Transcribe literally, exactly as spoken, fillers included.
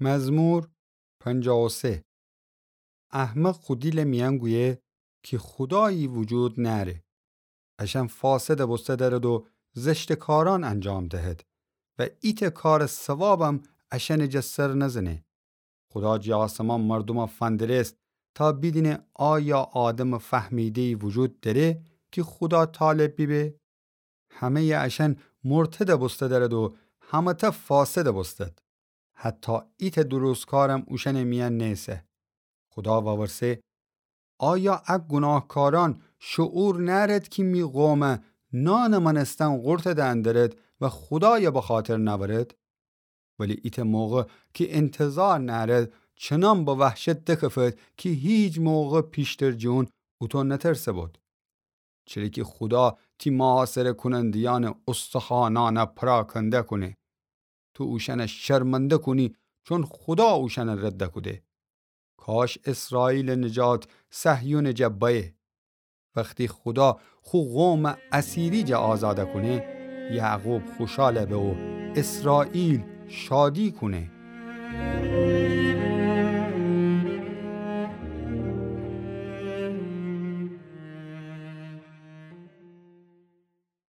مزمور پنجاه و سه. احمق خو دیلٚ میأن گویه کی خودایی وجود نأره. اشأن فاسدٚ بوسته دأرد و زشتٚ کارأن انجام دهد و ایتأ کارٚ ثوابم اشأنٚ جا سر نزنه. خودا جٚه آسمان مردومأ فندرست تا بیدینه آیا آدمٚ فهمیده‌یی وجود دأره کی خودا طالب بیبه؟ همه‌یٚ اشأن مرتد بوسته دأرد و همه‌تأ فاسد بوستد. حتی ایتأ درستکارم اوشأنٚ میأن نیسه. خودا وورسه: آیا ا گوناهکارأن شعور نأرد کی می قومأ نانٚ مأنستن قورتٚ دئن درد و خودایأ بخاطر نأورد؟ ولی ایتأ موقع کی انتظار نأرد، چنان به وحشت دکفد کی هیچ موقع پیشتر جٚه اون اوطو نترسه بود. چره کی خودا تی محاصره‌کوننده‌یأنٚ استخوانأنأ پراکنده کونه. تو اوشأنأ شرمنده کونی، چون خودا اوشأنأ رد کوده. کاش اسرائیلٚ نجات صهیونٚ جا بأیه. وختی خودا خو قومأ اسیری جا آزاد کونه، یعقوب خوشال به و اسرائیل شادی کونه.